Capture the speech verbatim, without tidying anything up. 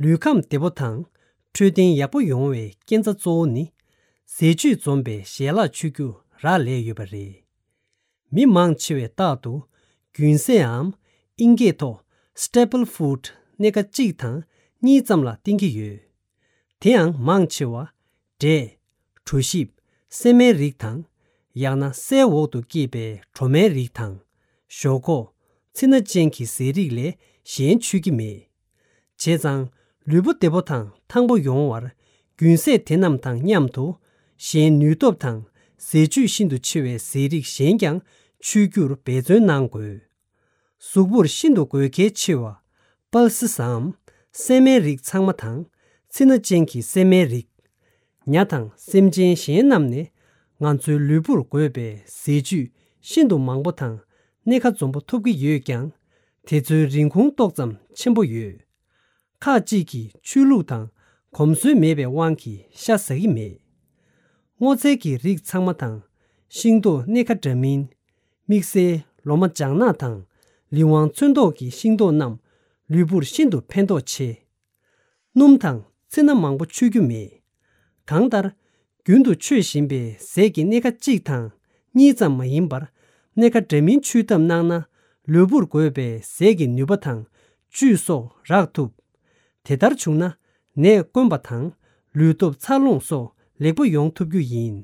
ལུས་ཁམས་བདེ་པོ་དང་འཕྲོད་བསྟེན་ཡག་པོ་ཡོང་བའི་རྐྱེན་རྩ་གཙོ་བོ་ནི། ཟས་བཅུད་འཛོམས་པའི་ཞལ་ལག་མཆོད་རྒྱུ་རག་ལས་ཡོད་པ་རེད། མི་མང་ཆེ་བས་རྟག་ཏུ་རྒྱུན་ཟས་འམ་ཨིན་སྐད་ཐོག་staple food སྣེ་ཁ་གཅིག་དང་གཉིས་ཙམ་ལ་བརྟེན་གྱི་ཡོད། དེའང་མང་ཆེ་བ། འབྲས། གྲོ་ཞིབ། སྲན་མའི་རིགས་དང་། ཡང་ན་སའི་འོག་ཏུ་སྐྱེས་པའི་གྲོ་མའི་རིགས་དང་། ཞོག་ཁོག་ཚི་སྣ་ཅན་གྱི་ཟས་རིགས་ལས་གཞན་མཆོད་ཀྱི་མེད། བྱས་ཙང་ལུས་པོ་བདེ་པོ་དང་ཐང་པོ་ཡོང་བར་རྒྱུན་ཟས་དེ་རྣམས་དང་མཉམ་དུ། གཞན་ནུས་སྟོབས་དང་ཟས་བཅུད་ཤིན་ཏུ་ཆེ་བའི་ཟས་རིགས་གཞན་ཀྱང་མཆོད་རྒྱུར་འབད་བརྩོན་གནང་དགོས། གཟུགས་པོར་ཤིན་ཏུ་དགོས་གལ་ཆེ་བ། པལ་སི་སམ། སྲན་མའི་རིགས་ཚང་མ་དང་། ཚི་སྣ་ཅན་གྱི་སྲན་མའི་རིགས། ཉ་དང་སེམས་ཅན་གཞན་རྣམས་ནས། ང་ཚོའི་ལུས་པོར་དགོས་པའི་ཟས་བཅུད་ཤིན་ཏུ་མང་པོ་དང་སྣེ་ཁ་འཛོམས་པོ་ཐོབ་ཀྱི་ཡོད་ཀྱང་། དེ་ཚོའི་རིན་གོང་ཏོག་ཙམ་ཆེན་པོ་ཡོད། ཁག་ཅིག་གིས་ཆོས་ལུགས་དང་གོམས་སྲོལ་མེད་པའི་དབང་གིས་ཤ་ཟ་གི་མེད། སྔོ་ཚལ་གྱི་རིགས་ཚང་མ་དང་། ཤིང་ཏོག་སྣེ་ཁ་འདྲ་མིན། དམིགས་བསལ་ལོ་མ་ལྗང་ནག་དང་། ལི་ཝང་ཚོན་མདོག་གི་ཤིང་ཏོག་རྣམས་ལུས་པོར་ཤིན་ཏུ་ཕན་ཐོགས་ཆེ། སྣུམ་དང་ཚི་སྣ་མང་པོ་མཆོད་རྒྱུ་མེད། གང་ལྟར། རྒྱུན་དུ་མཆོད་བཞིན་པའི་ཟས་ཀྱི་སྣེ་ཁ་གཅིག་དང་གཉིས་ཙམ་མ་ཡིན་པར། སྣེ་ཁ་འདྲ་མིན་མཆོད་ཐབས་གནང་ན། ལུས་པོར་དགོས་པའི་ཟས་ཀྱི་ནུས་པ་དང་བཅུད་སོགས་རག་ཐུབ། དེ་ལྟར་བྱུང་ན། ནད་དཀོན་པ་དང་ལུས་སྟོབས་འཚར་ལོངས་སོགས་ལེགས་པོ་ཡོང་ཐུབ་རྒྱུ་ཡིན།